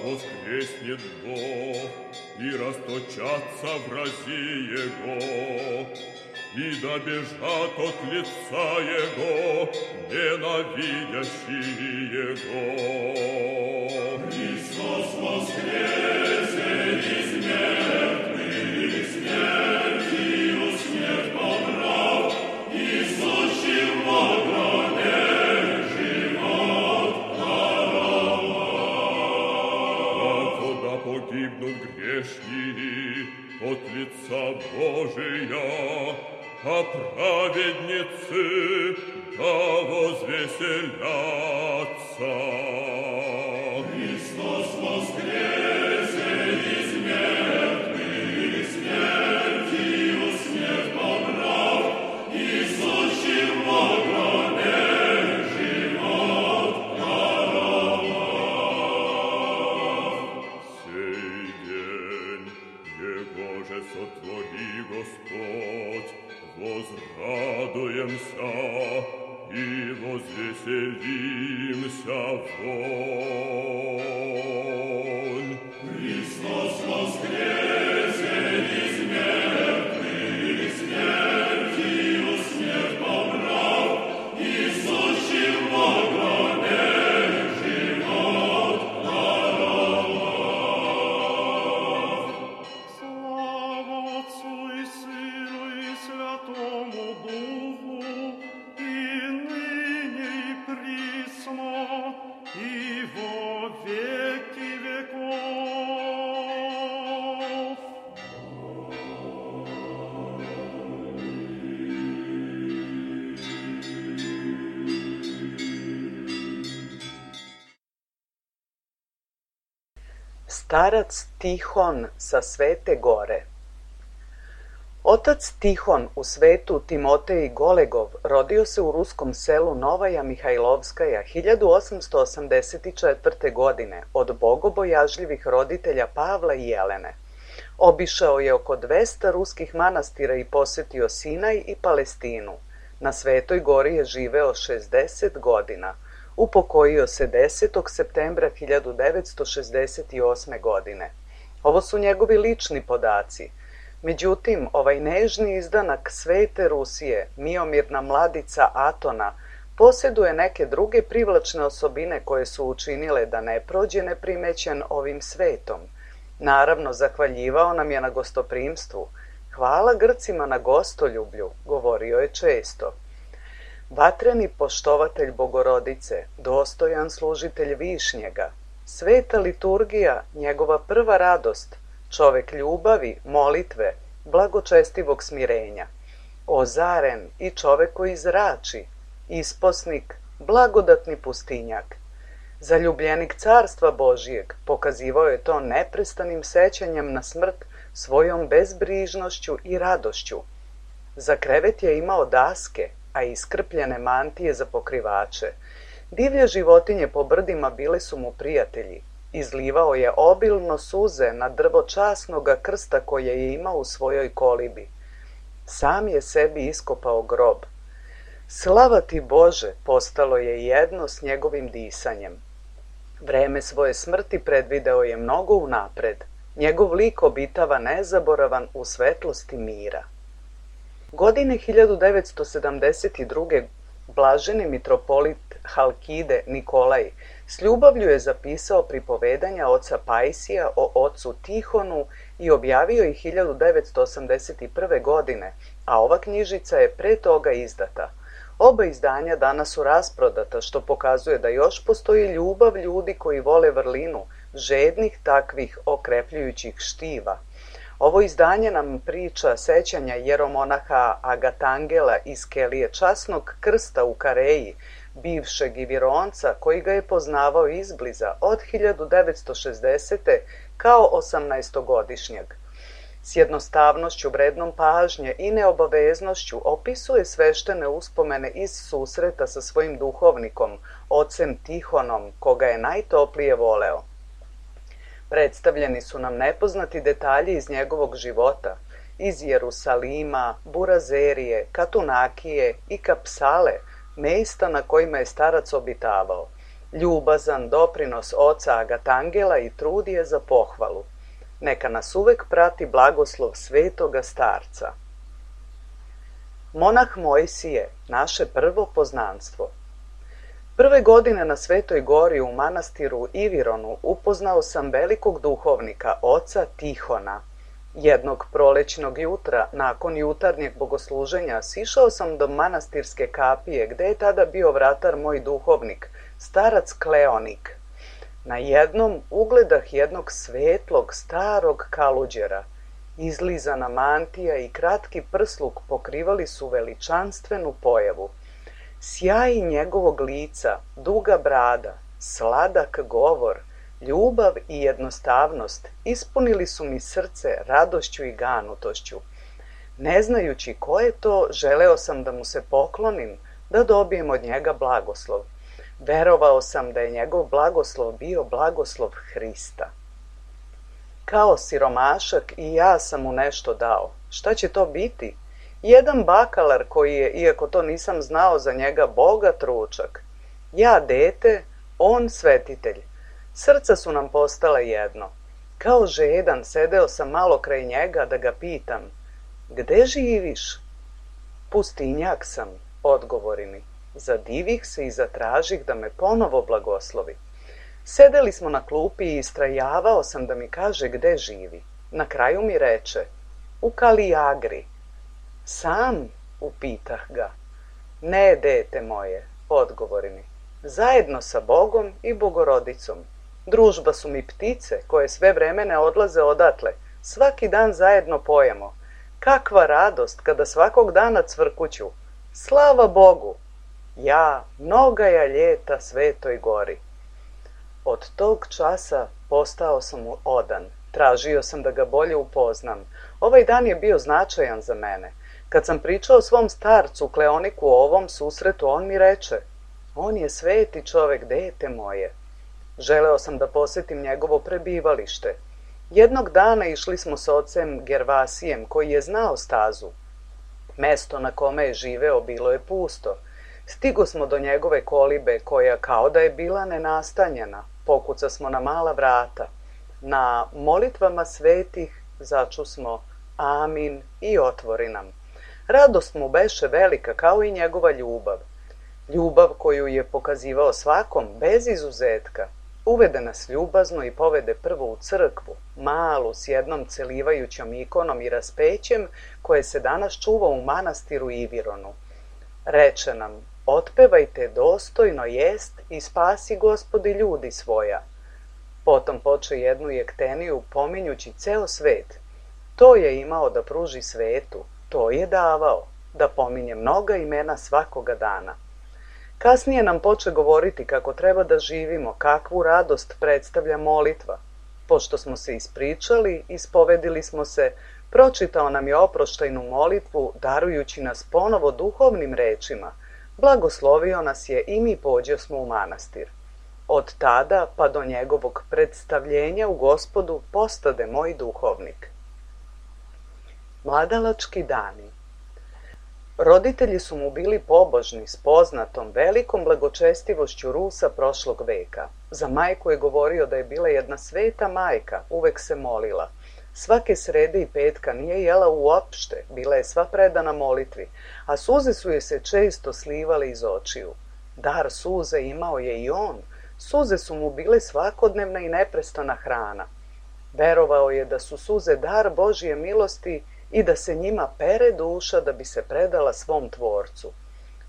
воскреснет Бог, и расточатся врази Его, и добежат от лица Его ненавидящие Его. Христос воскресе из мертвых, смертью смерть побрал, и сущим во гробе живот даровал. А куда погибнут грешники от лица Божия, а праведницы да возвеселятся. Христос воскресе из мертвых, смертью смерть побрал, и сущим во гробе живот даровал. Сей день Его же сотвори Господь, возрадуемся и возвеселимся вон. Христос воскресе из мертвых, смертью смерть побрал, и сущим во гробе живот даровал. Слава Отцу и Сыну и Святому Духу, и ныне и присно, и во веки веков. Starac Tihon sa Svete gore. Otac Tihon u svetu Timotej Golegov rodio se u ruskom selu Novaja Mihajlovskaja 1884. godine od bogobojažljivih roditelja Pavla i Jelene. Obišao je oko 200 ruskih manastira i posetio Sinaj i Palestinu. Na Svetoj gori je živeo 60 godina. Upokojio se 10. septembra 1968. godine. Ovo su njegovi lični podaci. Međutim, ovaj nežni izdanak Svete Rusije, miomirna mladica Atona, posjeduje neke druge privlačne osobine koje su učinile da ne prođe neprimećen ovim svetom. Naravno, zahvaljivao nam je na gostoprimstvu. Hvala Grcima na gostoljublju, govorio je često. Vatreni poštovatelj Bogorodice, dostojan služitelj Višnjega, sveta liturgija, njegova prva radost, čovek ljubavi, molitve, blagočestivog smirenja, ozaren i čovek koji zrači, isposnik, blagodatni pustinjak. Zaljubljenik carstva Božijeg pokazivao je to neprestanim sećanjem na smrt svojom bezbrižnošću i radošću. Za krevet je imao daske, a iskrpljene mantije za pokrivače. Divlje životinje po brdima bile su mu prijatelji. Izlivao je obilno suze na drvo časnoga krsta koje je imao u svojoj kolibi. Sam je sebi iskopao grob. Slava ti Bože postalo je jedno s njegovim disanjem. Vreme svoje smrti predvideo je mnogo unapred. Njegov lik obitava nezaboravan u svetlosti mira. Godine 1972. blaženi mitropolit Halkide Nikolaj s ljubavlju je zapisao pripovedanja oca Pajsija o ocu Tihonu i objavio ih 1981. godine, a ova knjižica je pre toga izdata. Oba izdanja danas su rasprodata, što pokazuje da još postoji ljubav ljudi koji vole vrlinu, žednih takvih okrepljujućih štiva. Ovo izdanje nam priča sećanja jeromonaha Agatangela iz kelije časnog krsta u Kareji, bivšeg Ivironca koji ga je poznavao izbliza od 1960. kao 18-godišnjeg. S jednostavnošću vrednom pažnje i neobaveznošću opisuje sveštene uspomene iz susreta sa svojim duhovnikom, ocem Tihonom, koga je najtoplije voleo. Predstavljeni su nam nepoznati detalji iz njegovog života, iz Jerusalima, Burazerije, Katunakije i Kapsale, mesta na kojima je starac obitavao. Ljubazan doprinos oca Agatangela i trud je za pohvalu. Neka nas uvek prati blagoslov svetoga starca. Monah Mojsije, naše prvo poznanstvo. Prve godine na Svetoj gori u manastiru Ivironu upoznao sam velikog duhovnika, oca Tihona. Jednog prolećnog jutra, nakon jutarnjeg bogosluženja, sišao sam do manastirske kapije, gde je tada bio vratar moj duhovnik, starac Kleonik. Na jednom ugledah jednog svetlog, starog kaluđera. Izlizana mantija i kratki prsluk pokrivali su veličanstvenu pojavu. Sjaj njegovog lica, duga brada, sladak govor, ljubav i jednostavnost ispunili su mi srce radošću i ganutošću. Ne znajući ko je to, želeo sam da mu se poklonim, da dobijem od njega blagoslov. Verovao sam da je njegov blagoslov bio blagoslov Hrista. Kao siromašak i ja sam mu nešto dao. Šta će to biti? Jedan bakalar koji je, iako to nisam znao za njega, bogat ručak. Ja dete, on svetitelj. Srca su nam postala jedno. Kao žedan sedeo sam malo kraj njega da ga pitam: gde živiš? Pustinjak sam, odgovori mi. Zadivih se i zatražih da me ponovo blagoslovi. Sedeli smo na klupi i istrajavao sam da mi kaže gde živi. Na kraju mi reče: u Kalijagri. Sam, upitah ga. Ne, dete moje, odgovori mi. Zajedno sa Bogom i Bogorodicom. Družba su mi ptice koje sve vreme ne odlaze odatle. Svaki dan zajedno pojemo. Kakva radost kada svakog dana cvrkuću. Slava Bogu! Ja, mnogaja ljeta Svetoj gori. Od tog časa postao sam mu odan. Tražio sam da ga bolje upoznam. Ovaj dan je bio značajan za mene. Kad sam pričao svom starcu Kleoniku o ovom susretu, on mi reče: on je sveti čovek, dete moje. Želeo sam da posetim njegovo prebivalište. Jednog dana išli smo sa ocem Gervasijem, koji je znao stazu. Mesto na kome je živeo bilo je pusto. Stigo smo do njegove kolibe, koja kao da je bila nenastanjena. Pokuca smo na mala vrata. Na molitvama svetih začusmo amin i otvori nam. Radost mu beše velika, kao i njegova ljubav. Ljubav koju je pokazivao svakom, bez izuzetka. Uvede nas ljubazno i povede prvo u crkvu, malu, s jednom celivajućom ikonom i raspećem, koje se danas čuva u manastiru Ivironu. Reče nam: otpevajte dostojno jest i spasi Gospodi ljudi svoja. Potom poče jednu jekteniju pominjući ceo svet. To je imao da pruži svetu, to je davao, da pominje mnoga imena svakoga dana. Kasnije nam poče govoriti kako treba da živimo, kakvu radost predstavlja molitva. Pošto smo se ispričali, ispovedili smo se, pročitao nam je oproštajnu molitvu, darujući nas ponovo duhovnim rečima. Blagoslovio nas je i mi pođo smo u manastir. Od tada pa do njegovog predstavljenja u Gospodu postade moj duhovnik. Mladalački dani. Roditelji su mu bili pobožni s poznatom velikom blagočestivošću Rusa prošlog veka. Za majku je govorio da je bila jedna sveta majka, uvek se molila. Svake srede i petka nije jela uopšte, bila je sva predana molitvi, a suze su je se često slivale iz očiju. Dar suze imao je i on, suze su mu bile svakodnevna i neprestana hrana. Verovao je da su suze dar Božije milosti i da se njima pere duša da bi se predala svom tvorcu.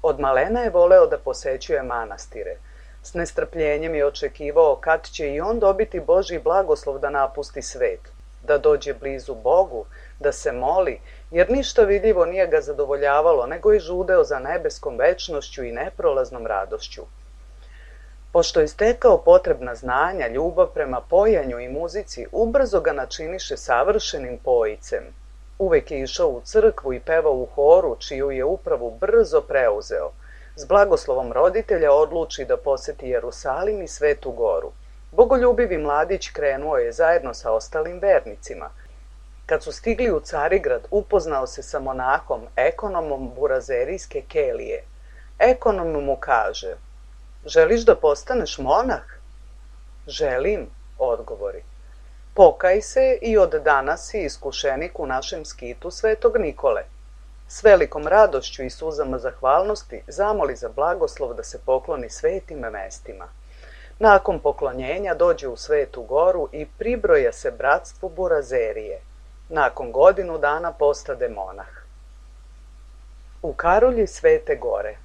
Od malena je voleo da posećuje manastire. S nestrpljenjem je očekivao kad će i on dobiti Božji blagoslov da napusti svet, da dođe blizu Bogu, da se moli, jer ništa vidljivo nije ga zadovoljavalo, nego je žudeo za nebeskom večnošću i neprolaznom radošću. Pošto je stekao potrebna znanja, ljubav prema pojanju i muzici ubrzo ga načiniše savršenim pojicem. Uvek je išao u crkvu i pevao u horu, čiju je upravu brzo preuzeo. S blagoslovom roditelja odluči da poseti Jerusalim i Svetu Goru. Bogoljubivi mladić krenuo je zajedno sa ostalim vernicima. Kad su stigli u Carigrad, upoznao se sa monahom, ekonomom burazerijske kelije. Ekonom mu kaže: "Želiš da postaneš monah?" "Želim," odgovori. "Pokaj se i od danas si iskušenik u našem skitu Svetog Nikole." S velikom radošću i suzama zahvalnosti zamoli za blagoslov da se pokloni svetim mestima. Nakon poklonjenja dođe u Svetu Goru i pribroja se bratstvu Burazerije. Nakon godinu dana postade monah. U Karolji Svete Gore.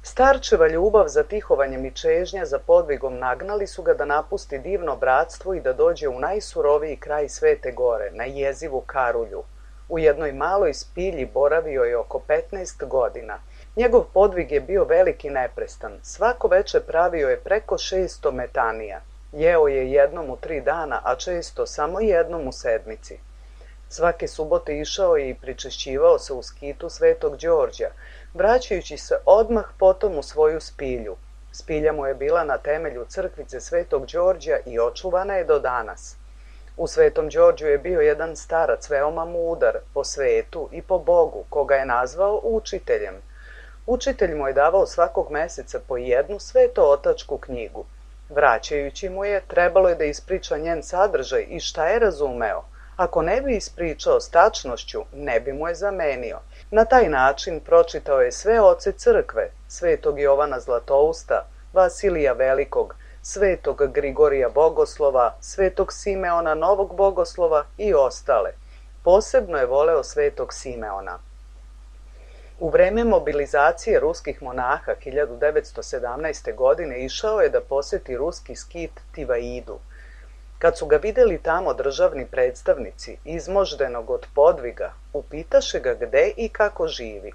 Starčeva ljubav za tihovanjem i čežnja za podvigom nagnali su ga da napusti divno bratstvo i da dođe u najsuroviji kraj Svete Gore, na jezivu Karulju. U jednoj maloj spilji boravio je oko 15 godina. Njegov podvig je bio veliki neprestan. Svako veče pravio je preko 600 metanija. Jeo je jednom u 3 dana, a često samo jednom u sedmici. Svake subote išao je i pričešćivao se u skitu Svetog Đorđa, vraćajući se odmah potom u svoju spilju. Spilja mu je bila na temelju crkvice Svetog Đorđa i očuvana je do danas. U Svetom Đorđu je bio jedan starac veoma mudar po svetu i po Bogu, koga je nazvao učiteljem. Učitelj mu je davao svakog meseca po jednu svetootačku knjigu. Vraćajući mu je, trebalo je da ispriča njen sadržaj i šta je razumeo. Ako ne bi ispričao s tačnošću, ne bi mu je zamenio. Na taj način pročitao je sve oce crkve, Svetog Jovana Zlatousta, Vasilija Velikog, Svetog Grigorija Bogoslova, Svetog Simeona Novog Bogoslova i ostale. Posebno je voleo Svetog Simeona. U vreme mobilizacije ruskih monaha 1917. godine išao je da poseti ruski skit Tivaidu. Kad su ga videli tamo državni predstavnici, izmoždenog od podviga, upitaše ga gde i kako živi.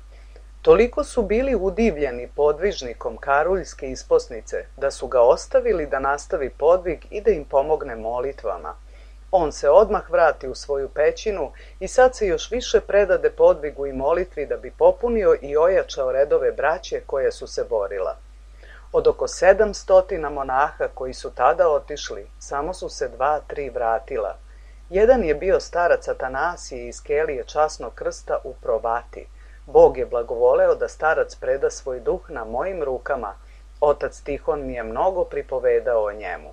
Toliko su bili udivljeni podvižnikom karuljske isposnice, da su ga ostavili da nastavi podvig i da im pomogne molitvama. On se odmah vrati u svoju pećinu i sad se još više predade podvigu i molitvi da bi popunio i ojačao redove braće koje su se borila. Od oko 700 monaha koji su tada otišli, samo su se 2-3 vratila. Jedan je bio starac Atanasije iz kelije Časnog krsta u Provati. Bog je blagovoleo da starac preda svoj duh na mojim rukama. Otac Tihon mi je mnogo pripovedao o njemu.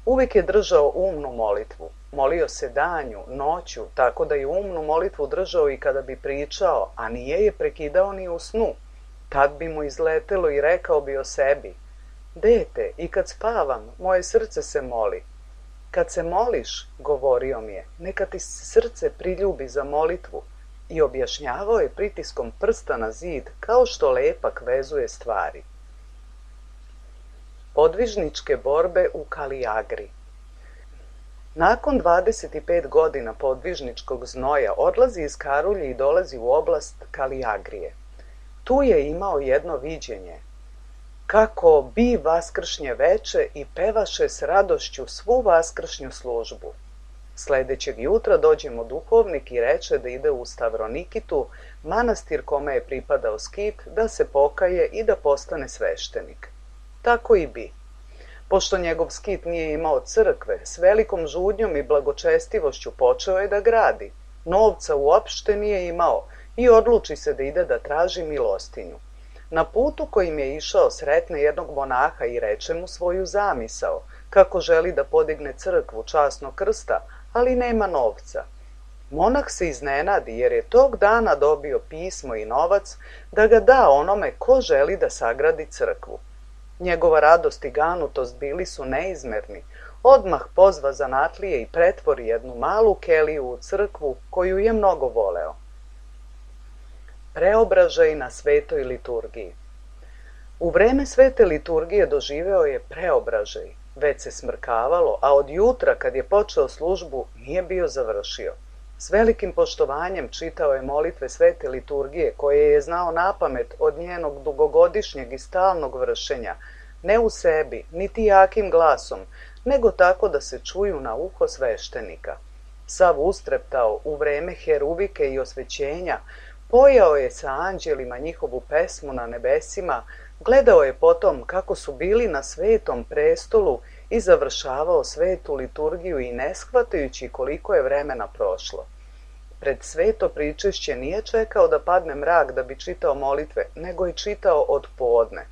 Uvijek je držao umnu molitvu. Molio se danju, noću, tako da je umnu molitvu držao i kada bi pričao, a nije je prekidao ni u snu. Tad bi mu izletelo i rekao bi o sebi: "Dete, i kad spavam, moje srce se moli." "Kad se moliš," govorio mi je, "neka ti srce priljubi za molitvu." I objašnjavao je pritiskom prsta na zid, kao što lepak vezuje stvari. Podvižničke borbe u Kalijagri. Nakon 25 godina podvižničkog znoja odlazi iz Karulje i dolazi u oblast Kalijagrije. Tu je imao jedno viđenje. Kako bi vaskršnje veče i pevaše s radošću svu vaskršnju službu. Sledećeg jutra dođe mu duhovnik i reče da ide u Stavronikitu, manastir kome je pripadao skit, da se pokaje i da postane sveštenik. Tako i bi. Pošto njegov skit nije imao crkve, s velikom žudnjom i blagočestivošću počeo je da gradi. Novca uopšte nije imao i odluči se da ide da traži milostinju. Na putu kojim je išao sretne jednog monaha i reče mu svoju zamisao, kako želi da podigne crkvu Časnog krsta, ali nema novca. Monah se iznenadi jer je tog dana dobio pismo i novac da ga da onome ko želi da sagradi crkvu. Njegova radost i ganutost bili su neizmerni. Odmah pozva zanatlije i pretvori jednu malu keliju u crkvu koju je mnogo voleo. Preobražaj na svetoj liturgiji. U vreme svete liturgije doživeo je preobražaj. Već se smrkavalo, a od jutra kad je počeo službu nije bio završio. S velikim poštovanjem čitao je molitve svete liturgije koje je znao napamet od njenog dugogodišnjeg i stalnog vršenja. ne u sebi, niti jakim glasom, nego tako da se čuju na uho sveštenika. Sav ustreptao u vreme heruvike i osvećenja, pojao je sa anđelima njihovu pesmu na nebesima, gledao je potom kako su bili na svetom prestolu i završavao svetu liturgiju i ne shvatajući koliko je vremena prošlo. Pred sveto pričešće nije čekao da padne mrak da bi čitao molitve, nego je čitao od podne.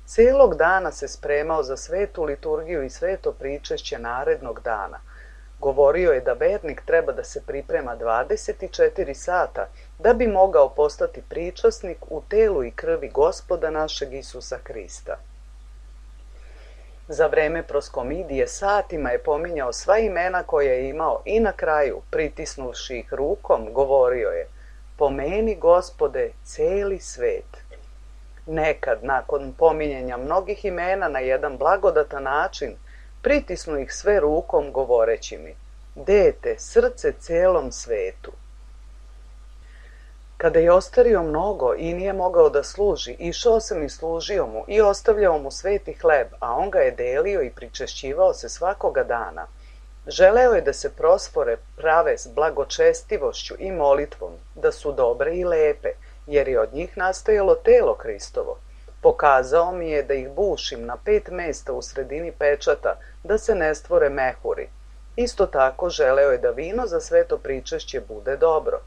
Cijelog dana se spremao za svetu liturgiju i sveto pričešće narednog dana. Govorio je da vernik treba da se priprema 24 sata da bi mogao postati pričasnik u telu i krvi Gospoda našeg Isusa Hrista. Za vreme proskomidije satima je pominjao sva imena koje je imao i na kraju, pritisnuvši ih rukom, govorio je: pomeni, Gospode, celi svet. Nekad, nakon pominjanja mnogih imena na jedan blagodatan način, pritisnu ih sve rukom govoreći mi: dete, srce celom svetu. Kada je ostario mnogo i nije mogao da služi, išao sam i služio mu i ostavljao mu sveti hleb, a on ga je delio i pričešćivao se svakoga dana. Želeo je da se prosfore prave s blagočestivošću i molitvom, da su dobre i lepe, jer je od njih nastajalo telo Hristovo. Pokazao mi je da ih bušim na 5 mesta u sredini pečata, da se ne stvore mehuri. Isto tako želeo je da vino za sveto pričešće bude dobro.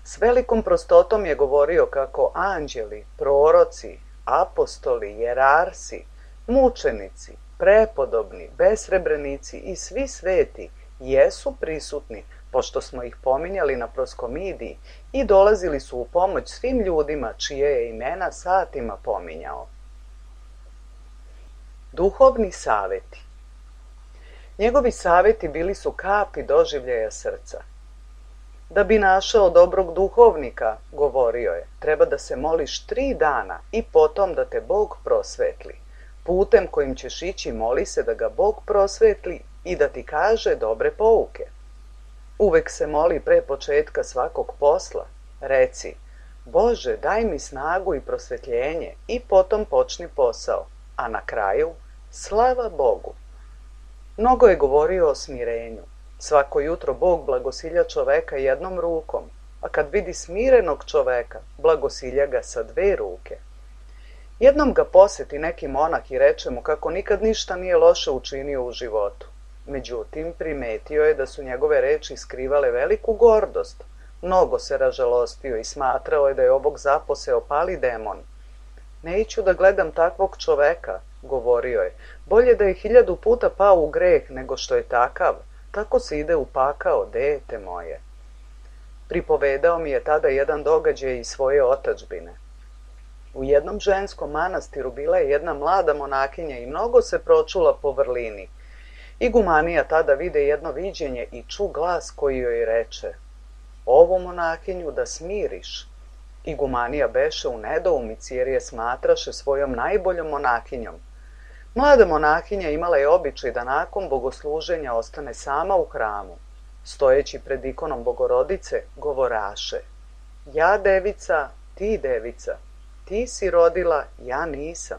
S velikom prostotom je govorio kako anđeli, proroci, apostoli, jerarsi, mučenici, prepodobni, besrebrenici i svi sveti jesu prisutni, pošto smo ih pominjali na proskomidiji, i dolazili su u pomoć svim ljudima čije je imena satima pominjao. Duhovni saveti. Njegovi saveti bili su kapi doživljaja srca. Da bi našao dobrog duhovnika, govorio je, treba da se moliš 3 dana i potom da te Bog prosvetli. Putem kojim ćeš ići moli se da ga Bog prosvetli i da ti kaže dobre pouke. Uvek se moli pre početka svakog posla. Reci: Bože, daj mi snagu i prosvetljenje, i potom počni posao, a na kraju slava Bogu. Mnogo je govorio o smirenju. Svako jutro Bog blagosilja čoveka jednom rukom, a kad vidi smirenog čoveka, blagosilja ga sa 2 ruke. Jednom ga poseti neki monah i reče mu kako nikad ništa nije loše učinio u životu. Međutim, primetio je da su njegove reči skrivale veliku gordost. Mnogo se ražalostio i smatrao je da je ovog zaposeo pali demon. Neću da gledam takvog čoveka, govorio je. Bolje da je 1000 puta pao u greh nego što je takav. Tako se ide u pakao, dete moje. Pripovedao mi je tada jedan događaj iz svoje otadžbine. U jednom ženskom manastiru bila je jedna mlada monakinja i mnogo se pročula po vrlini. Igumanija tada vide jedno viđenje i ču glas koji joj reče: ovu monakinju da smiriš. Igumanija beše u nedoumici jer je smatraše svojom najboljom monakinjom. Mlada monahinja imala je običaj da nakon bogosluženja ostane sama u hramu. Stojeći pred ikonom Bogorodice, govoraše: ja devica, ti devica, ti si rodila, ja nisam.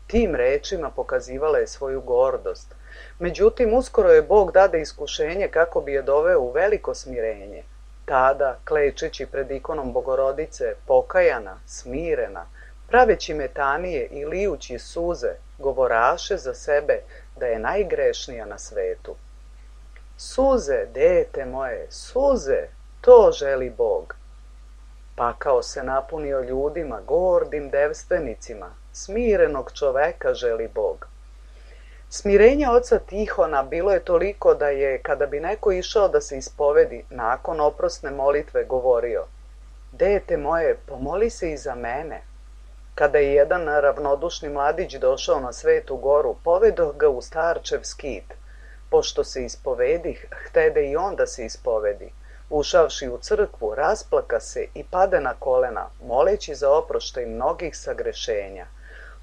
Tim rečima pokazivala je svoju gordost. Međutim, uskoro je Bog dade iskušenje kako bi je doveo u veliko smirenje. Tada, klečeći pred ikonom Bogorodice, pokajana, smirena, praveći metanije i lijući suze, govoraše za sebe da je najgrešnija na svetu. Suze, dete moje, suze, to želi Bog. Pakao se napunio ljudima, gordim devstvenicima, smirenog čoveka želi Bog. Smirenje oca Tihona bilo je toliko da je, kada bi neko išao da se ispovedi, nakon oprosne molitve govorio: dete moje, pomoli se i za mene. Kada je jedan ravnodušni mladić došao na Svetu goru, povedoh ga u starčev skit. Pošto se ispovedih, htede i on da se ispovedi. Ušavši u crkvu, rasplaka se i pade na kolena, moleći za oproštaj mnogih sagrešenja.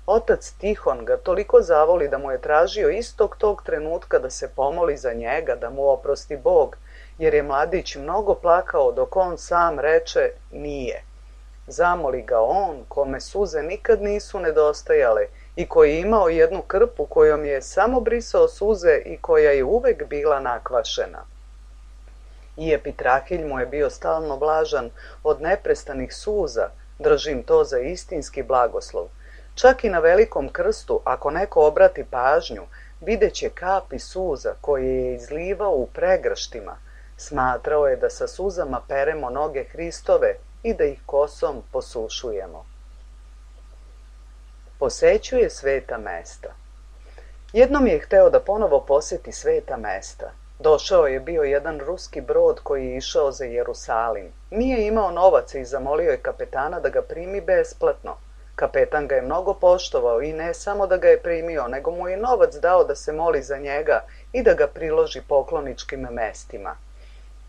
Otac Tihon ga toliko zavoli da mu je tražio istog tog trenutka da se pomoli za njega, da mu oprosti Bog, jer je mladić mnogo plakao dok on sam reče nije. Zamoli ga on, kome suze nikad nisu nedostajale i koji je imao jednu krpu kojom je samo brisao suze i koja je uvek bila nakvašena. I Epitrahilj mu je bio stalno blažan od neprestanih suza, držim to za istinski blagoslov. Čak i na velikom krstu, ako neko obrati pažnju, videće kapi suza koje je izlivao u pregrštima. Smatrao je da sa suzama peremo noge Hristove i da ih kosom posušujemo. Posećuje sveta mesta. Jednom je hteo da ponovo poseti sveta mesta. Došao je bio jedan ruski brod koji je išao za Jerusalim. Nije imao novaca i zamolio je kapetana da ga primi besplatno. Kapetan ga je mnogo poštovao i ne samo da ga je primio, nego mu je novac dao da se moli za njega i da ga priloži pokloničkim mestima.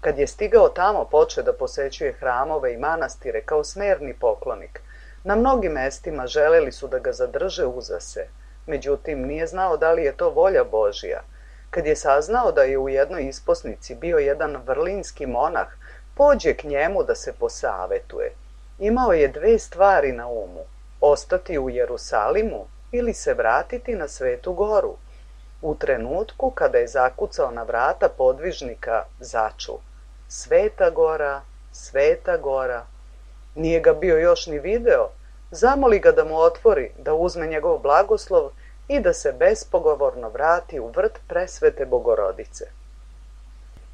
Kad je stigao tamo, počeo da posećuje hramove i manastire kao smerni poklonik. Na mnogim mestima želeli su da ga zadrže uza se. Međutim, nije znao da li je to volja Božja. Kad je saznao da je u jednoj isposnici bio jedan vrlinski monah, pođe k njemu da se posavetuje. Imao je dve stvari na umu: ostati u Jerusalimu ili se vratiti na Svetu Goru. U trenutku kada je zakucao na vrata podvižnika, začu: Sveta Gora, Sveta Gora. Nije ga bio još ni video. Zamoli ga da mu otvori, da uzme njegov blagoslov i da se bespogovorno vrati u vrt presvete Bogorodice.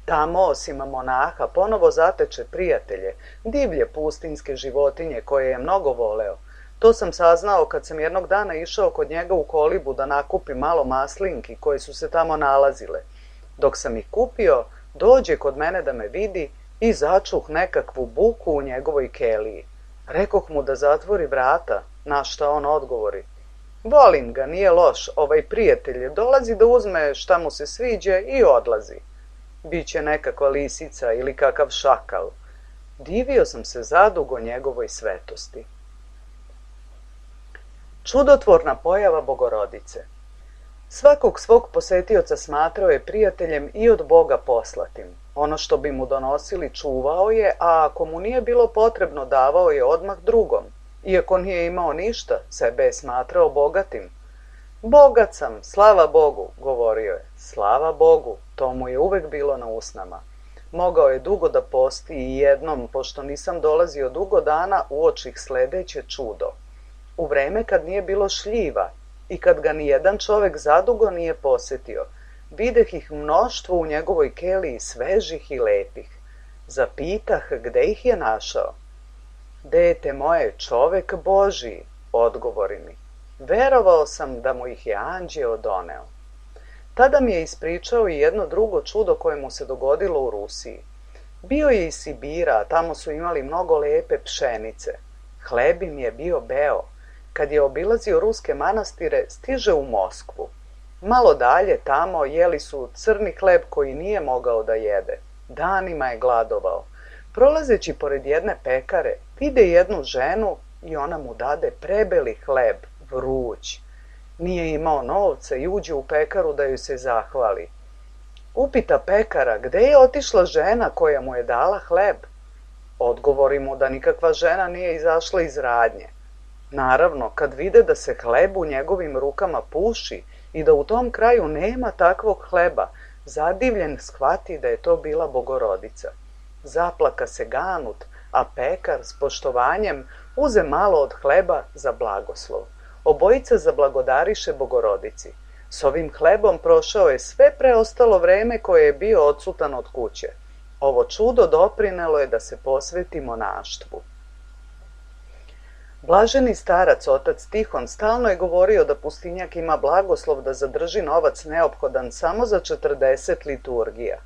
Tamo, osim monaha, ponovo zateče prijatelje, divlje pustinske životinje koje je mnogo voleo. To sam saznao kad sam jednog dana išao kod njega u kolibu da nakupim malo maslinki koje su se tamo nalazile. Dok sam ih kupio, dođe kod mene da me vidi i začuh nekakvu buku u njegovoj keliji. Rekoh mu da zatvori vrata, na šta on odgovori: volim ga, nije loš, ovaj prijatelj dolazi da uzme šta mu se sviđa i odlazi. Biće nekakva lisica ili kakav šakal. Divio sam se zadugo njegovoj svetosti. Čudotvorna pojava Bogorodice. Svakog svog posetioca smatrao je prijateljem i od Boga poslatim. Ono što bi mu donosili čuvao je, a ako mu nije bilo potrebno, davao je odmah drugom. Iako nije imao ništa, sebe je smatrao bogatim. Bogat sam, slava Bogu, govorio je. Slava Bogu, to mu je uvek bilo na usnama. Mogao je dugo da posti i jednom, pošto nisam dolazio dugo dana, uočih sledeće čudo. U vreme kad nije bilo šljiva i kad ga ni jedan čovek zadugo nije posetio, videh ih mnoštvo u njegovoj keliji, svežih i lepih. Zapitah gde ih je našao. Dete moje, čovek Božiji, odgovori mi. Verovao sam da mu ih je anđeo doneo. Tada mi je ispričao i jedno drugo čudo koje mu se dogodilo u Rusiji. Bio je iz Sibira, a tamo su imali mnogo lepe pšenice. Hleb im je bio beo. Kad je obilazio ruske manastire, stiže u Moskvu. Malo dalje tamo jeli su crni hleb koji nije mogao da jede. Danima je gladovao. Prolazeći pored jedne pekare, vide jednu ženu i ona mu dade prebeli hleb, vruć. Nije imao novca i uđe u pekaru da joj se zahvali. Upita pekara gde je otišla žena koja mu je dala hleb. Odgovori mu da nikakva žena nije izašla iz radnje. Naravno, kad vide da se hleb u njegovim rukama puši i da u tom kraju nema takvog hleba, zadivljen shvati da je to bila Bogorodica. Zaplaka se ganut, a pekar s poštovanjem uze malo od hleba za blagoslov. Obojica zablagodariše Bogorodici. S ovim hlebom prošao je sve preostalo vreme koje je bio odsutan od kuće. Ovo čudo doprinelo je da se posveti monaštvu. Blaženi starac, otac Tihon, stalno je govorio da pustinjak ima blagoslov da zadrži novac neophodan samo za 40 liturgija.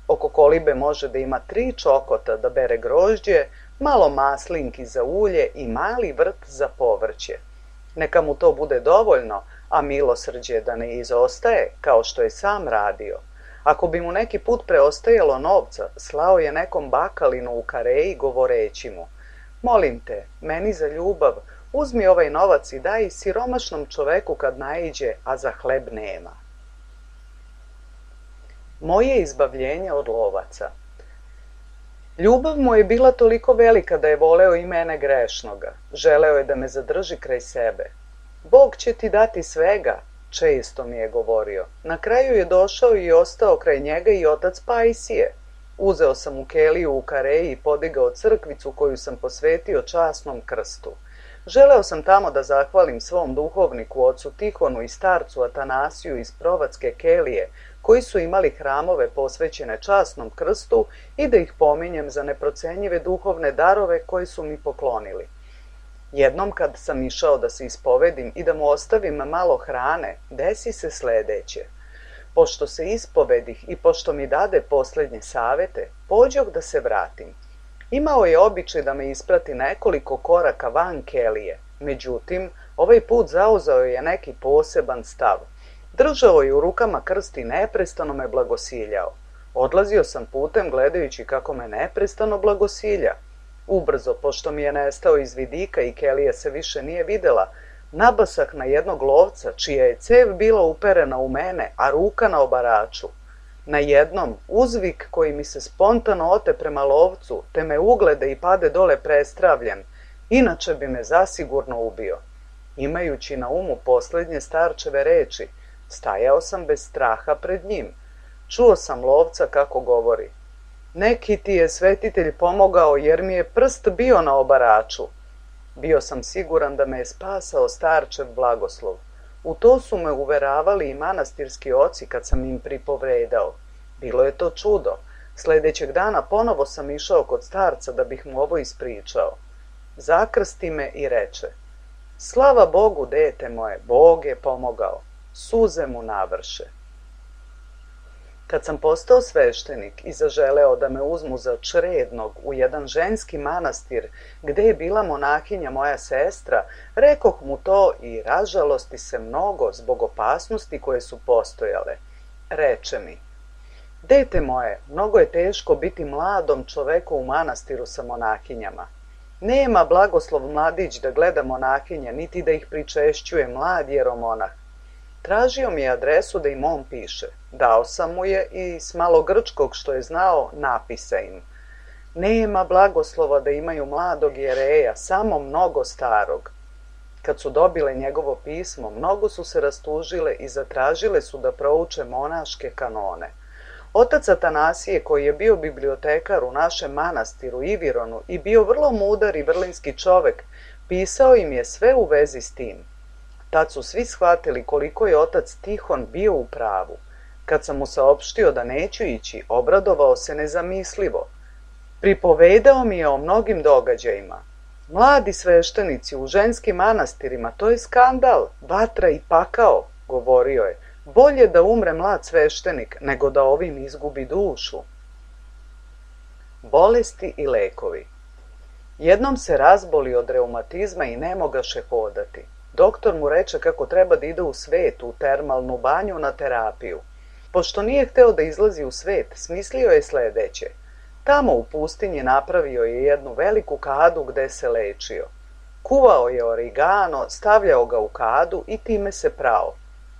Oko kolibe može da ima 3 čokota, da bere grožđe, malo maslinki za ulje i mali vrt za povrće. Neka mu to bude dovoljno, a milosrđe da ne izostaje, kao što je sam radio. Ako bi mu neki put preostajalo novca, slao je nekom bakalinu u Kareji govoreći mu: molim te, meni za ljubav, uzmi ovaj novac i daj siromašnom čoveku kad naiđe, a za hleb nema. Moje izbavljenje od lovaca. Ljubav mu je bila toliko velika da je voleo i mene grešnoga. Želeo je da me zadrži kraj sebe. Bog će ti dati svega, često mi je govorio. Na kraju je došao i ostao kraj njega i otac Pajsije. Uzeo sam u keliju u Kareji i podigao crkvicu koju sam posvetio časnom krstu. Želeo sam tamo da zahvalim svom duhovniku, ocu Tihonu i starcu Atanasiju iz Provatske kelije, koji su imali hramove posvećene časnom krstu, i da ih pominjem za neprocenjive duhovne darove koje su mi poklonili. Jednom kad sam išao da se ispovedim i da mu ostavim malo hrane, desi se sledeće. Pošto se ispovedih i pošto mi dade posljednje savete, pođoh da se vratim. Imao je običaj da me isprati nekoliko koraka van kelije, međutim, ovaj put zauzeo je neki poseban stav. Držao je u rukama krst i neprestano me blagosiljao. Odlazio sam putem gledajući kako me neprestano blagosilja. Ubrzo, pošto mi je nestao iz vidika i kelija se više nije videla, nabasah na jednog lovca, čija je cev bila uperena u mene, a ruka na obaraču. Na jednom uzvik koji mi se spontano ote prema lovcu, te me uglede i pade dole prestravljen, inače bi me zasigurno ubio. Imajući na umu posljednje starčeve reči, stajao sam bez straha pred njim. Čuo sam lovca kako govori. Neki ti je svetitelj pomogao jer mi je prst bio na obaraču. Bio sam siguran da me je spasao starčev blagoslov. U to su me uveravali i manastirski oci kad sam im pripovedao. Bilo je to čudo. Sljedećeg dana ponovo sam išao kod starca da bih mu ovo ispričao. Zakrsti me i reče: slava Bogu, dete moje, Bog je pomogao. Suze mu navrše. Kad sam postao sveštenik i zaželeo da me uzmu za črednog u jedan ženski manastir gde je bila monahinja moja sestra, rekoh mu to i ražalosti se mnogo zbog opasnosti koje su postojale. Reče mi: dete moje, mnogo je teško biti mladom čoveku u manastiru sa monahinjama. Nema blagoslov mladić da gleda monahinje, niti da ih pričešćuje mlad jeromonah. Tražio mi je adresu da im on piše. Dao sam mu je i s malo grčkog što je znao napisa im. Nema blagoslova da imaju mladog jereja, samo mnogo starog. Kad su dobile njegovo pismo, mnogo su se rastužile i zatražile su da prouče monaške kanone. Otac Atanasije, koji je bio bibliotekar u našem manastiru Ivironu i bio vrlo mudar i vrlinski čovek, pisao im je sve u vezi s tim. Tad su svi shvatili koliko je otac Tihon bio u pravu. Kad sam mu saopštio da neću ići, obradovao se nezamislivo. Pripovedao mi je o mnogim događajima. Mladi sveštenici u ženskim manastirima, to je skandal, vatra i pakao, govorio je. Bolje da umre mlad sveštenik, nego da ovim izgubi dušu. Bolesti i lekovi. Jednom se razboli od reumatizma i ne mogaše hodati. Doktor mu reče kako treba da ide u svet, u termalnu banju na terapiju. Pošto nije hteo da izlazi u svet, smislio je sledeće. Tamo u pustinji napravio je jednu veliku kadu gde se lečio. Kuvao je origano, stavljao ga u kadu i time se prao.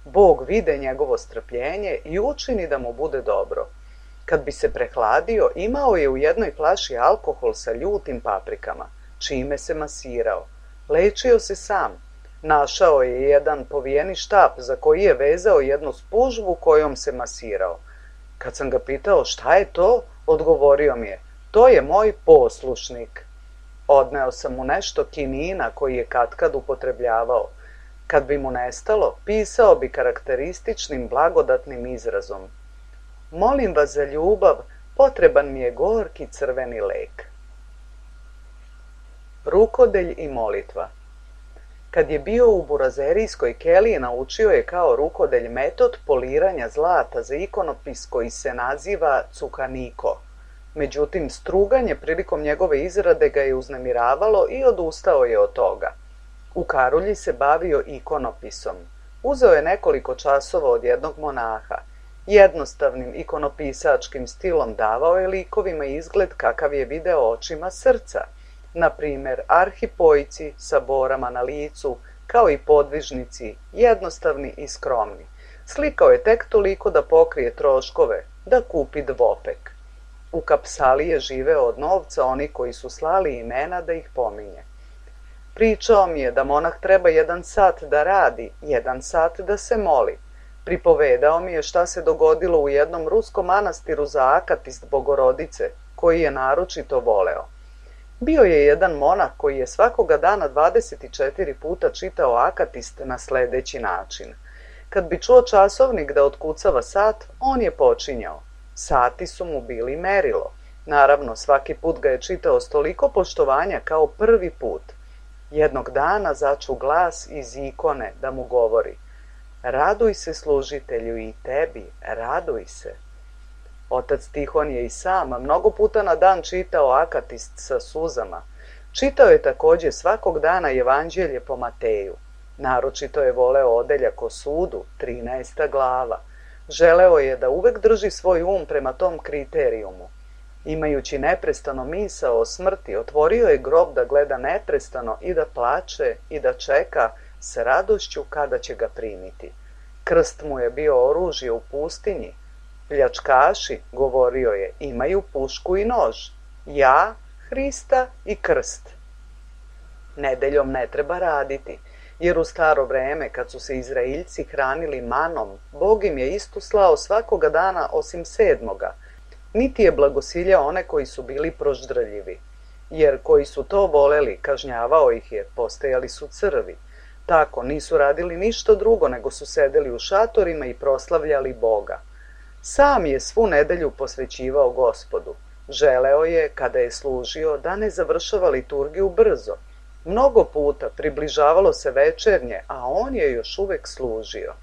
Bog vide njegovo strpljenje i učini da mu bude dobro. Kad bi se prehladio, imao je u jednoj flaši alkohol sa ljutim paprikama, čime se masirao. Lečio se sam. Našao je jedan povijeni štap za koji je vezao jednu spužvu kojom se masirao. Kad sam ga pitao šta je to, odgovorio mi je: to je moj poslušnik. Odneo sam mu nešto kinina koji je katkad upotrebljavao. Kad bi mu nestalo, pisao bi karakterističnim blagodatnim izrazom: molim vas za ljubav, potreban mi je gorki crveni lek. Rukodelj i molitva. Kad je bio u burazerijskoj keliji, naučio je kao rukodelj metod poliranja zlata za ikonopis koji se naziva cukaniko. Međutim, struganje prilikom njegove izrade ga je uznemiravalo i odustao je od toga. U Karulji se bavio ikonopisom. Uzeo je nekoliko časova od jednog monaha. Jednostavnim ikonopisačkim stilom davao je likovima izgled kakav je video očima srca. Na primer, arhipojci sa borama na licu, kao i podvižnici, jednostavni i skromni. Slikao je tek toliko da pokrije troškove, da kupi dvopek. U Kapsali je živeo od novca oni koji su slali imena da ih pominje. Pričao mi je da monah treba 1 sat da radi, 1 sat da se moli. Pripovedao mi je šta se dogodilo u jednom ruskom manastiru za Akatist Bogorodice, koji je naročito voleo. Bio je jedan monah koji je svakoga dana 24 puta čitao Akatist na sledeći način. Kad bi čuo časovnik da otkucava sat, on je počinjao. Sati su mu bili merilo. Naravno, svaki put ga je čitao s toliko poštovanja kao prvi put. Jednog dana začu glas iz ikone da mu govori: raduj se, služitelju, i tebi, raduj se. Otac Tihon je i sam mnogo puta na dan čitao Akatist sa suzama. Čitao je takođe svakog dana Evanđelje po Mateju. Naročito je voleo odeljak o sudu, 13. glava. Želeo je da uvek drži svoj prema tom kriterijumu. Imajući neprestano misao o smrti, otvorio je grob da gleda neprestano i da plače i da čeka s radošću kada će ga primiti. Krst mu je bio oružje u pustinji. Pljačkaši, govorio je, imaju pušku i nož. Ja, Hrista i krst. Nedeljom ne treba raditi, jer u staro vreme, kad su se Izraeljci hranili manom, Bog im je istu slao svakoga dana osim 7. Niti je blagosiljao one koji su bili proždrljivi, jer koji su to voleli, kažnjavao ih je, postajali su crvi. Tako, nisu radili ništa drugo, nego su sedeli u šatorima i proslavljali Boga. Sam je svu nedelju posvećivao Gospodu. Želeo je, kada je služio, da ne završava liturgiju brzo. Mnogo puta približavalo se večernje, a on je još uvek služio.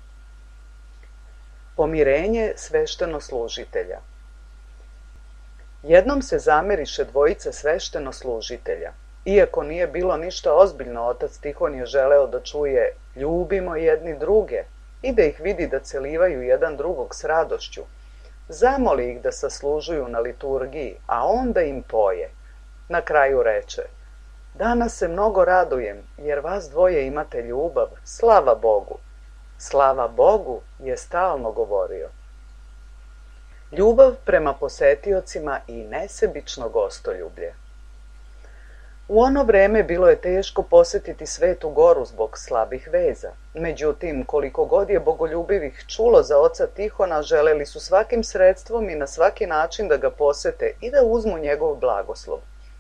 Pomirenje sveštenoslužitelja. Jednom se zameriše dvojica sveštenoslužitelja. Iako nije bilo ništa ozbiljno, otac Tihon je želeo da čuje ljubimo jedni druge i da ih vidi da celivaju jedan drugog s radošću. Zamoli ih da saslužuju na liturgiji, a onda im poje. Na kraju reče: danas se mnogo radujem, jer vas dvoje imate ljubav, slava Bogu. Slava Bogu je stalno govorio. Ljubav prema posetiocima i nesebično gostoljublje. U ono vreme bilo je teško posetiti Svetu Goru zbog slabih veza. Međutim, koliko god je bogoljubivih čulo za oca Tihona, želeli su svakim sredstvom i na svaki način da ga posete i da uzmu njegov blagoslov.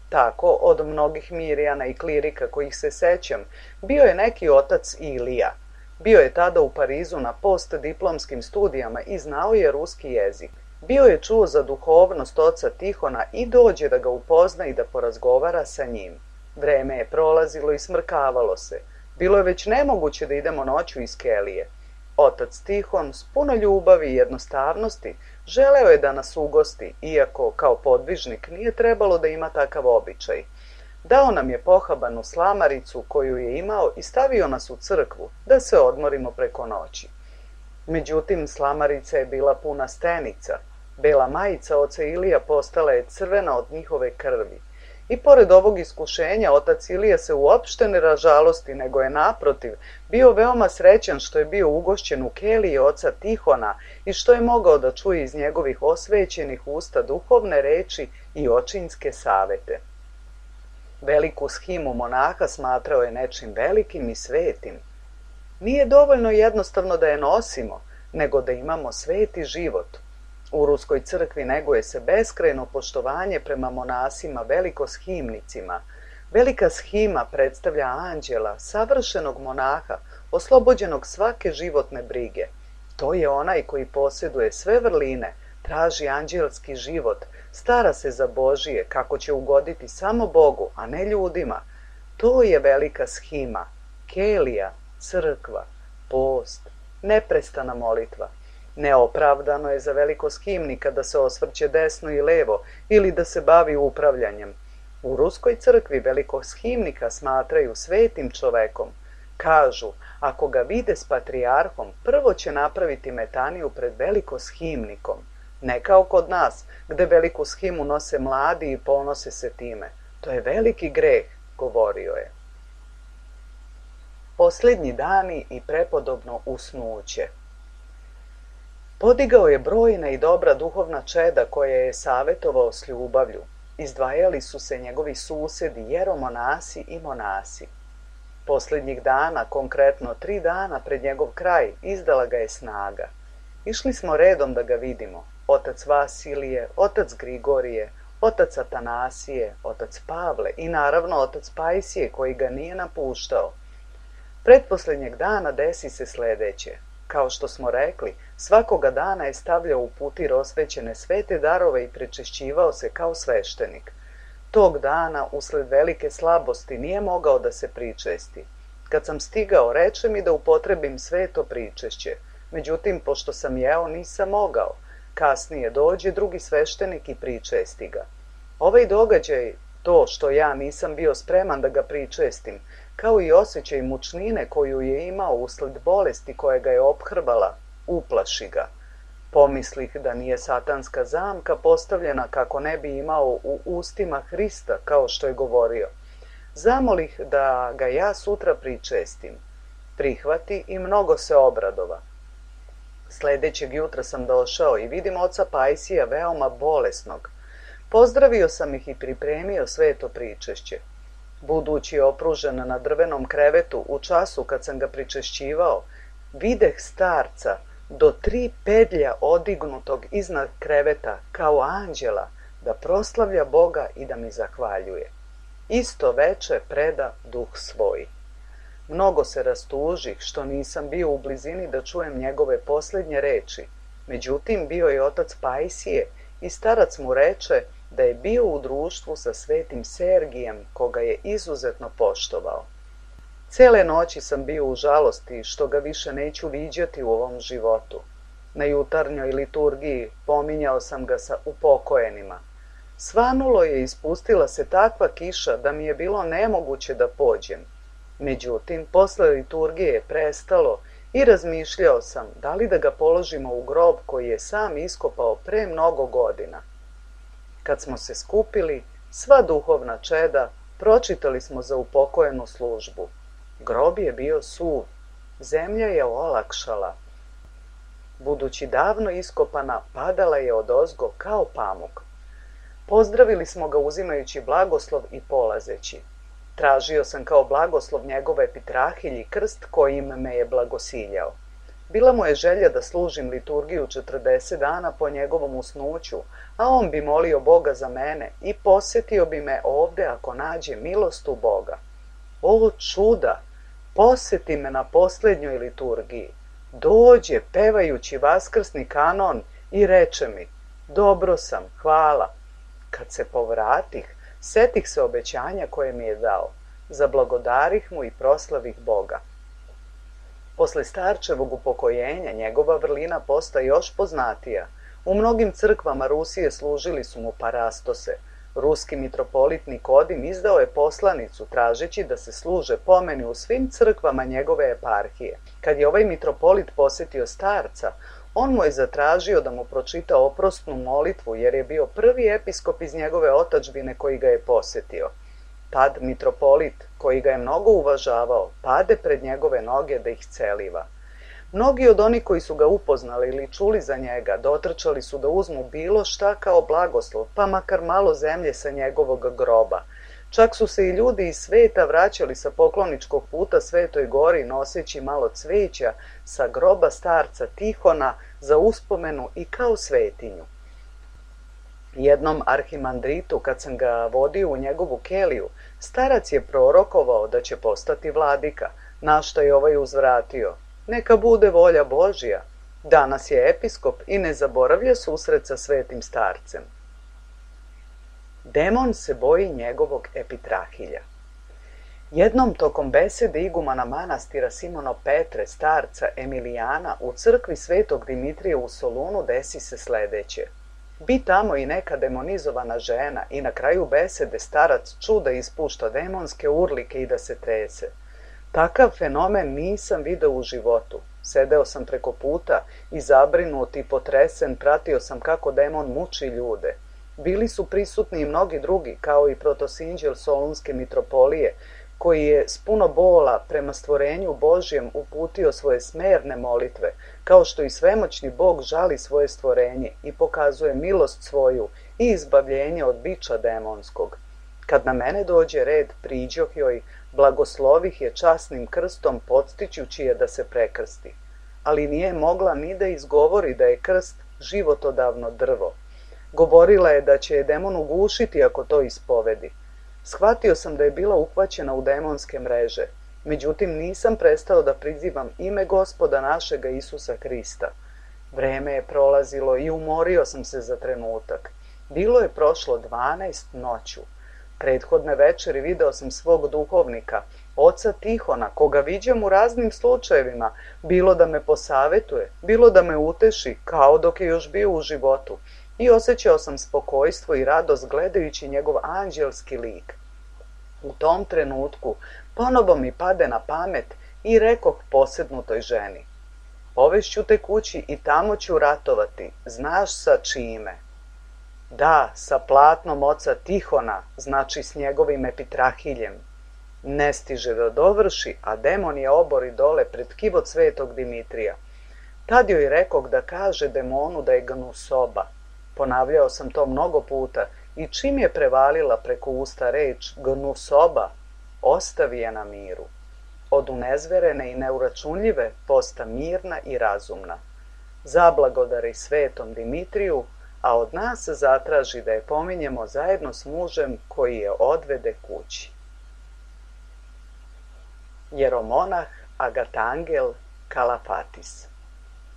Tako, od mnogih mirjana i klirika kojih se sećam, bio je neki otac Ilija. Bio je tada u Parizu na postdiplomskim studijama i znao je ruski jezik. Bio je čuo za duhovnost oca Tihona i dođe da ga upozna i da porazgovara sa njim. Vreme je prolazilo i smrkavalo se. Bilo je već nemoguće da idemo noću iz kelije. Otac Tihon, s puno ljubavi i jednostavnosti, želeo je da nas ugosti, iako kao podvižnik nije trebalo da ima takav običaj. Dao nam je pohabanu slamaricu koju je imao i stavio nas u crkvu, da se odmorimo preko noći. Međutim, slamarica je bila puna stenica. Bela majica oca Ilija postala je crvena od njihove krvi. I pored ovog iskušenja, otac Ilija se uopšte ne ražalosti, nego je naprotiv bio veoma srećan što je bio ugošćen u keliji oca Tihona i što je mogao da čuje iz njegovih osvećenih usta duhovne reči i očinske savete. Veliku shimu monaha smatrao je nečim velikim i svetim. Nije dovoljno jednostavno da je nosimo, nego da imamo sveti život. U Ruskoj crkvi neguje se beskrajno poštovanje prema monasima velikoshimnicima. Velika shima predstavlja anđela, savršenog monaha, oslobođenog svake životne brige. To je onaj koji posjeduje sve vrline, traži anđelski život, stara se za Božije, kako će ugoditi samo Bogu, a ne ljudima. To je velika shima, kelija, crkva, post, neprestana molitva. Neopravdano je za velikoshimnika da se osvrće desno i levo ili da se bavi upravljanjem. U Ruskoj crkvi velikoshimnika smatraju svetim čovekom. Kažu, ako ga vide s patrijarhom, prvo će napraviti metaniju pred velikoshimnikom. Ne kao kod nas, gde veliku shimu nose mladi i ponose se time. To je veliki greh, govorio je. Posljednji dani i prepodobno usnuće. Podigao je brojna i dobra duhovna čeda koje je savetovao s ljubavlju. Izdvajali su se njegovi susedi, jeromonasi i monasi. Posljednjih dana, konkretno 3 dana pred njegov kraj, izdala ga je snaga. Išli smo redom da ga vidimo. Otac Vasilije, otac Grigorije, otac Atanasije, otac Pavle i naravno otac Pajsije koji ga nije napuštao. Pretposljednjeg dana desi se sljedeće. Kao što smo rekli, svakoga dana je stavljao u putir osvećene svete darove i prečešćivao se kao sveštenik. Tog dana, usled velike slabosti, nije mogao da se pričesti. Kad sam stigao, reče mi da upotrebim sveto pričešće. Međutim, pošto sam jeo, nisam mogao. Kasnije dođe drugi sveštenik i pričesti ga. Ovaj događaj, to što ja nisam bio spreman da ga pričestim, kao i osjećaj mučnine koju je imao usled bolesti koja ga je ophrvala, uplaši ga. Pomislih da nije satanska zamka postavljena kako ne bi imao u ustima Hrista, kao što je govorio. Zamolih da ga ja sutra pričestim. Prihvati i mnogo se obradova. Sljedećeg jutra sam došao i vidim oca Pajsija veoma bolesnog. Pozdravio sam ih i pripremio sveto pričešće. Budući opružen na drvenom krevetu u času kad sam ga pričešćivao, videh starca do 3 pedlja odignutog iznad kreveta kao anđela da proslavlja Boga i da mi zahvaljuje. Isto veče preda duh svoj. Mnogo se rastužih što nisam bio u blizini da čujem njegove posljednje reči. Međutim, bio je otac Pajsije i starac mu reče da je bio u društvu sa svetim Sergijem, koga je izuzetno poštovao. Cele noći sam bio u žalosti što ga više neću viđati u ovom životu. Na jutarnjoj liturgiji pominjao sam ga sa upokojenima. Svanulo je i spustila se takva kiša da mi je bilo nemoguće da pođem. Međutim, posle liturgije je prestalo i razmišljao sam da li da ga položimo u grob koji je sam iskopao pre mnogo godina. Kad smo se skupili, sva duhovna čeda, pročitali smo za upokojenu službu. Grob je bio suv, zemlja je olakšala. Budući davno iskopana, padala je odozgo kao pamuk. Pozdravili smo ga uzimajući blagoslov i polazeći. Tražio sam kao blagoslov njegove epitrahilji krst kojim me je blagosiljao. Bila mu je želja da služim liturgiju 40 dana po njegovom usnuću, a on bi molio Boga za mene i posjetio bi me ovde ako nađe milost u Boga. O čuda! Posjeti me na posljednjoj liturgiji. Dođe pevajući vaskrsni kanon i reče mi: dobro sam, hvala. Kad se povratih, setih se obećanja koje mi je dao. Zablagodarih mu i proslavih Boga. Posle starčevog upokojenja njegova vrlina postaje još poznatija. U mnogim crkvama Rusije služili su mu parastose. Ruski mitropolit Nikodim izdao je poslanicu tražeći da se služe pomeni u svim crkvama njegove eparhije. Kad je ovaj mitropolit posjetio starca, on mu je zatražio da mu pročita oprostnu molitvu jer je bio prvi episkop iz njegove otadžbine koji ga je posjetio. Tad mitropolit, koji ga je mnogo uvažavao, pade pred njegove noge da ih celiva. Mnogi od onih koji su ga upoznali ili čuli za njega dotrčali su da uzmu bilo šta kao blagoslov, pa makar malo zemlje sa njegovog groba. Čak su se i ljudi iz sveta vraćali sa pokloničkog puta Svetoj gori noseći malo cveća sa groba starca Tihona za uspomenu i kao svetinju. Jednom arhimandritu, kad sam ga vodio u njegovu keliju, starac je prorokovao da će postati vladika, na što je ovaj uzvratio: neka bude volja Božja. Danas je episkop i ne zaboravlja susret sa svetim starcem. Demon se boji njegovog epitrahilja. Jednom tokom besede igumana manastira Simono Petre, starca Emilijana, u crkvi svetog Dimitrija u Solunu desi se sledeće. Bi tamo i neka demonizovana žena i na kraju besede starac čuda ispušta demonske urlike i da se trese. Takav fenomen nisam video u životu. Sedeo sam preko puta i zabrinut i potresen pratio sam kako demon muči ljude. Bili su prisutni i mnogi drugi, kao i protosinđel Solunske mitropolije, koji je s puno bola prema stvorenju Božjem uputio svoje smerne molitve, kao što i svemoćni Bog žali svoje stvorenje i pokazuje milost svoju i izbavljenje od biča demonskog. Kad na mene dođe red, priđoh joj, blagoslovih je časnim krstom, podstičući je da se prekrsti. Ali nije mogla ni da izgovori da je krst životodavno drvo. Govorila je da će je demon ugušiti ako to ispovedi. Shvatio sam da je bila uhvaćena u demonske mreže. Međutim, nisam prestao da prizivam ime Gospoda našega Isusa Hrista. Vreme je prolazilo i umorio sam se za trenutak. Bilo je prošlo 12 noću. Prethodne večeri video sam svog duhovnika, oca Tihona, koga viđam u raznim slučajevima, bilo da me posavetuje, bilo da me uteši, kao dok je još bio u životu, i osjećao sam spokojstvo i radost gledajući njegov anđelski lik. U tom trenutku ponovo mi pade na pamet i rekoh posednutoj ženi: povešću te kući i tamo ću ratovati, znaš sa čime? Da, sa platnom oca Tihona, znači s njegovim epitrahiljem. Ne stiže da dovrši, a demon je obori dole pred kivot svetog Dimitrija. Tad joj rekog da kaže demonu da je gnusoba. Ponavljao sam to mnogo puta i čim je prevalila preko usta reč gnusoba, ostavi je na miru. Od unezverene i neuračunljive posta mirna i razumna. Zablagodari svetom Dimitriju, a od nas zatraži da je pominjemo zajedno s mužem koji je odvede kući. Jeromonah Agatangel Kalafatis.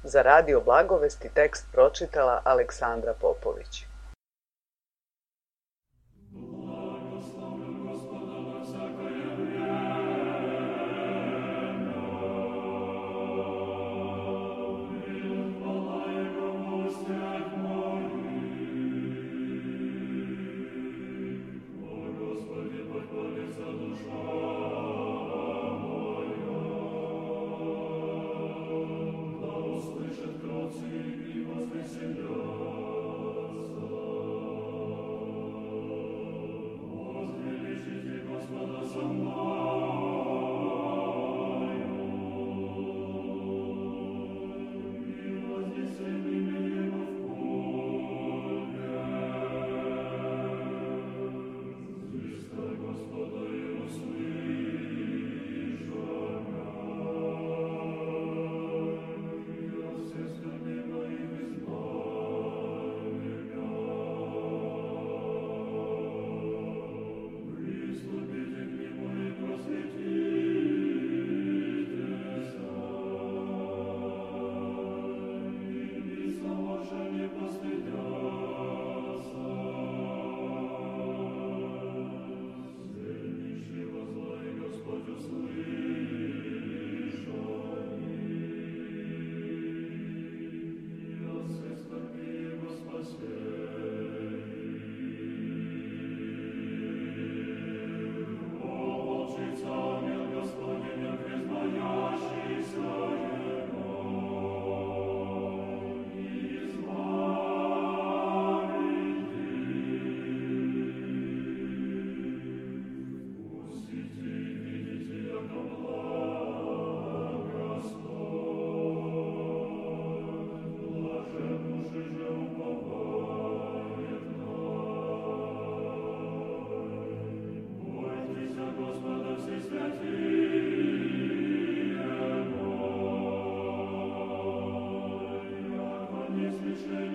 Za Radio Blagovesti tekst pročitala Aleksandra Popović. Niesłyszenie